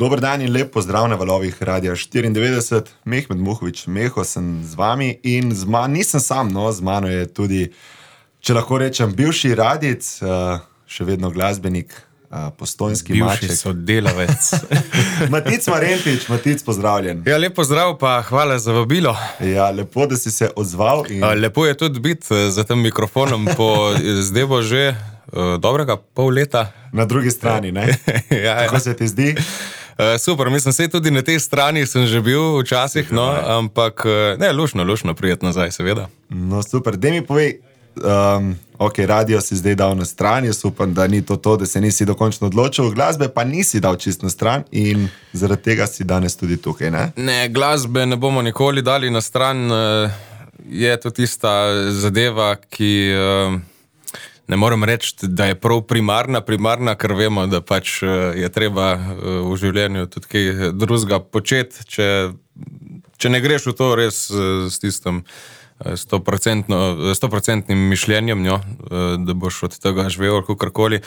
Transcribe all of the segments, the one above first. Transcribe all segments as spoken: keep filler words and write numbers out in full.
Dober dan in lep pozdrav na valovih Radia štiriindevetdeset. Mehmed Muhovič, Meho sem z vami in z ma, nisem sam, no, z mano je tudi, če lahko rečem, bivši radic, uh, še vedno glasbenik, uh, postojnski maček. Bivši sodelavec. Matic Marentič, Matic, pozdravljen. Ja, lep pozdrav, pa hvala za vabilo. Ja, lepo, da si se odzval. In... A, lepo je tudi biti za tem mikrofonom po zdaj bo že uh, dobrega pol leta. Na drugi strani, ne? Ja, Kako ja. se ti zdi? Uh, super, mislim, sej tudi na tej strani sem že bil včasih, no, ampak ne, lušno, lušno prijetno nazaj, seveda. No, super. Dej mi povej, um, ok, radio si zdaj dal na stran, jaz upam, da ni to to, da se nisi dokončno odločil, glasbe pa nisi dal čist na stran in zaradi tega si danes tudi tukaj, ne? Ne, glasbe ne bomo nikoli dali na stran, je to tista zadeva, ki... Uh, Ne morem reči, da je prav primarna, primarna, ker vemo, da pač je treba v življenju tudi kaj drugega početi, če, če ne greš v to res s tistim stoprocentnim mišljenjem, jo, da boš od tega živel kakorkoli.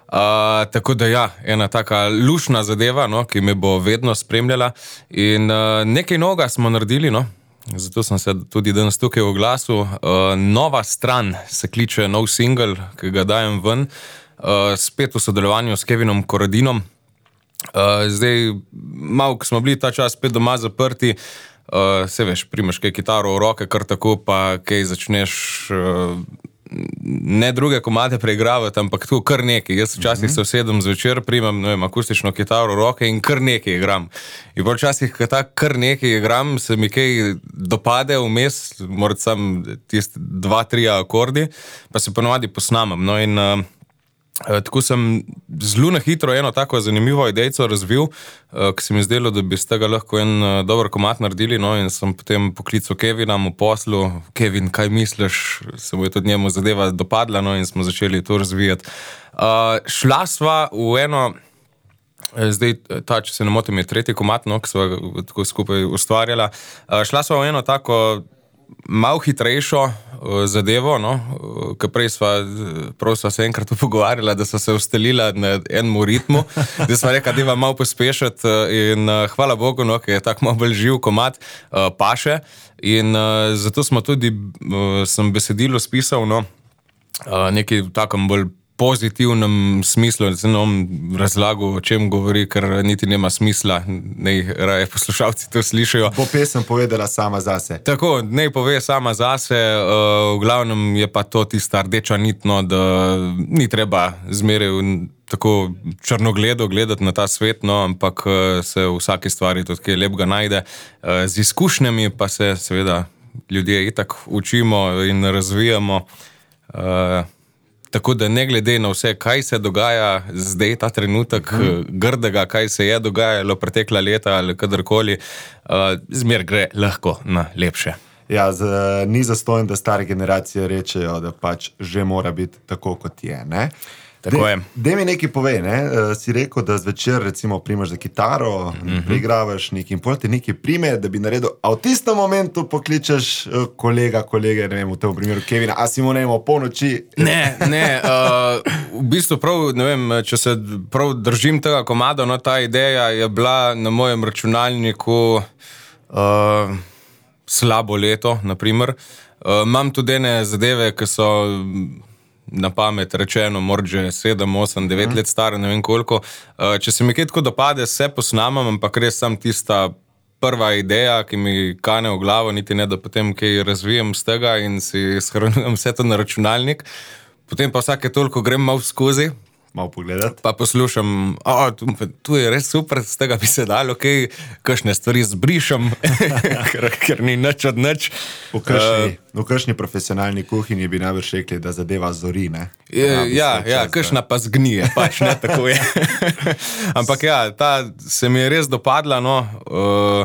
Uh, tako da ja, ena taka lušna zadeva, no, ki me bo vedno spremljala in uh, nekaj noga smo naredili, no. Zato sem se tudi danes tukaj v glasu. Uh, nova stran se kliče nov single, ki ga dajem ven, uh, spet v sodelovanju s Kevinom Koradinom. Uh, zdaj, malo, ko smo bili ta čas spet doma zaprti, uh, se veš, primeš kaj kitaro v roke, kar tako, pa kaj začneš uh, ne druge komade preigravati, ampak tu kar nekaj. Jaz včasih se usedem zvečer, primam, ne vem, akustično kitaro v roke in kar nekaj igram. In včasih, ko ta kar nekaj igram, se mi kaj dopade vmes, morat sam tisti dva, tri akordi, pa se ponovadi posnamem. No in uh, tako sem zelo na hitro eno tako zanimivo idejco razvil, uh, ki se mi zdelo, da bi z tega lahko en uh, dober komad naredili, no in sem potem poklical Kevina v poslu. Kevin, kaj misliš? Se mu je tudi njemu zadeva dopadla, no in smo začeli to razvijati. Uh, šla sva v eno, zdaj ta, če se ne motim, je tretji komad, no, ki sva tako skupaj ustvarjala. Uh, šla sva v eno tako malo hitrejšo uh, zadevo, no, uh, ker prej sva, prav sva se enkrat pogovarjala, da sva se ustalila na enem ritmu, da sva rekla, da je malo pospešati uh, in uh, hvala Bogu, no, ker je tak malo bolj živ komad, uh, paše in uh, zato smo tudi, uh, sem besedilo spisal, no, uh, nekaj v takem bolj pozitivnem smislu, da se nam razlagal, o čem govori, ker niti nema smisla, naj raje poslušalci to slišajo. Bo pesem povedala sama zase. Tako, naj pove sama zase, uh, v glavnem je pa to tista rdeča nit, no, da ni treba zmeraj tako črnogledo gledati na ta svet, no, ampak se v vsaki stvari tudi kaj lepega najde. Uh, z izkušnjami pa se seveda ljudje itak učimo in razvijamo. Uh, Tako da ne glede na vse, kaj se dogaja zdaj, ta trenutek hmm. grdega, kaj se je dogajalo pretekla leta ali kadarkoli, uh, zmer gre lahko na lepše. Ja, z, ni zastojno, da stare generacije rečejo, da pač že mora biti tako, kot je, ne? Tako je. Dej mi nekaj povej, ne? Si rekel, da zvečer recimo primaš za kitaro, mm-hmm. preigravaš nekaj in pol ti nekaj prime, da bi naredil, a v tistem momentu pokličeš kolega, kolege, ne vem, v tem primeru Kevina, a si mu ne vem, o polnoči? Ne, ne, uh, v bistvu prav, ne vem, če se prav držim tega komada, no, ta ideja je bila na mojem računalniku uh, slabo leto, na primer. Uh, imam tudi ene zadeve, ki so na pamet rečeno, morda že sedem, osem, devet let stare, ne vem koliko. Če se mi kaj tako dopade, se posnamam, ampak res sam tista prva ideja, ki mi kane v glavo, niti ne, da potem kaj razvijem z tega in si shranjujem vse to na računalnik. Potem pa vsake toliko grem malo skozi, malo pogledati. Pa poslušam, o, tu, tu je res super, z tega bi se dalo, kaj, kakšne stvari zbrišem, ker, ker ni nič od nič. V kakšni, uh, v kakšni profesionalni kuhinji bi najbrž rekli, da zadeva zori, ne? Je, ja, ja, kakšna pa zgnije, pač ne tako je. Ampak ja, ta se mi je res dopadla, no, uh,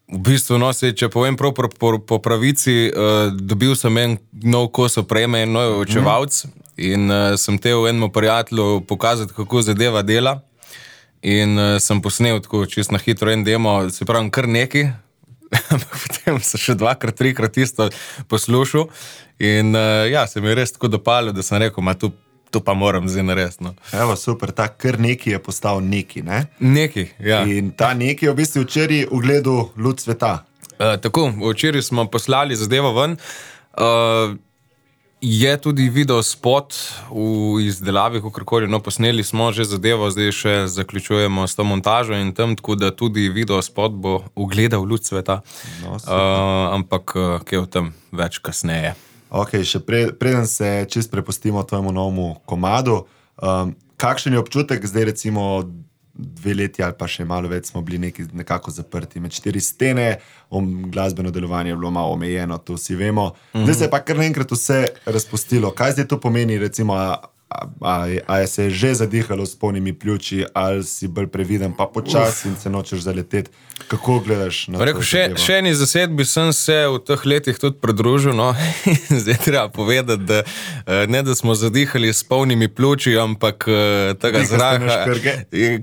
v bistvu, no, se, če povem prav po, po, po pravici, uh, dobil sem en nov kos opreme, en nov očevalc, mm. In uh, sem te v enemu prijatelju pokazati, kako zadeva dela in uh, sem posnel tako čist na hitro en demo, se pravim kar neki, potem sem še dvakrat, trikrat isto poslušal in uh, ja, se mi je res tako dopalo, da sem rekel, ma tu to pa moram zdaj narediti. No. Evo, super, ta kar neki je postal neki, ne? Neki, ja. In ta neki je v bistvu včeraj ugledal luč sveta. Uh, tako, včeraj smo poslali zadevo ven. Uh, je tudi video spot v izdelavi, kakorkoli, no, posneli smo že zadevo, zdaj še zaključujemo s to montažo in tam, tako da tudi video spot bo ugledal luč sveta. No, uh, ampak, uh, kaj o tem več kasneje. Ok, še pre, preden se čist prepustimo tvojemu novemu komadu, um, kakšen je občutek zdaj recimo dve leti ali pa še malo več smo bili neki, nekako zaprti med štiri stene, om, glasbeno delovanje je bilo malo omejeno, to vsi vemo. Mm-hmm. Zdaj se je pa kar naenkrat vse razpustilo. Kaj zdaj to pomeni, recimo, a, a, a, a je se že zadihalo s polnimi pljuči, ali si bolj previden, pa počasi in se nočeš zaleteti? Kako gledaš na to? Rekel, še, še eni zasedbi sem se v teh letih tudi pridružil, no, zdaj treba povedati, da ne da smo zadihali s polnimi pljuči, ampak tega zraka,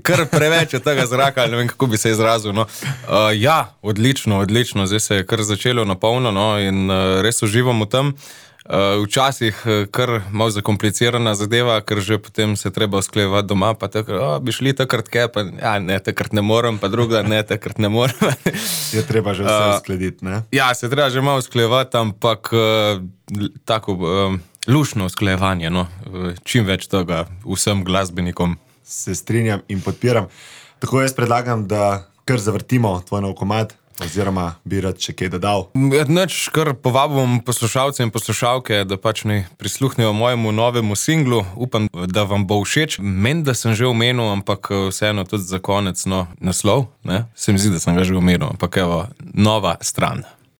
kar preveč je tega zraka, ne vem, kako bi se izrazil. No. Uh, ja, odlično, odlično, zdaj se je kar začelo na polno, no, in uh, res uživam v tem. Uh, včasih kar malo zakomplicirana zadeva, ker že potem se treba usklejevati doma, pa takrat, oh, bi šli takrat kaj, pa ja, ne, takrat ne morem, pa druga, ne, takrat ne morem. Je treba že vse uskladiti, ne? Uh, ja, se treba že malo usklejevati, ampak uh, tako uh, lušno usklejevanje, no, čim več tega vsem glasbenikom. Se strinjam in podpiram. Tako jaz predlagam, da kar zavrtimo tvoj nov komad, oziroma bi rad še kaj dodal. Neč, kar povabim poslušalce in poslušalke, da pač ne prisluhnejo mojemu novemu singlu. Upam, da vam bo všeč. Meni, da sem že omenil, ampak vseeno tudi za konec, no, naslov, ne? Se mi zdi, da sem ga že omenil, ampak evo, Nova stran.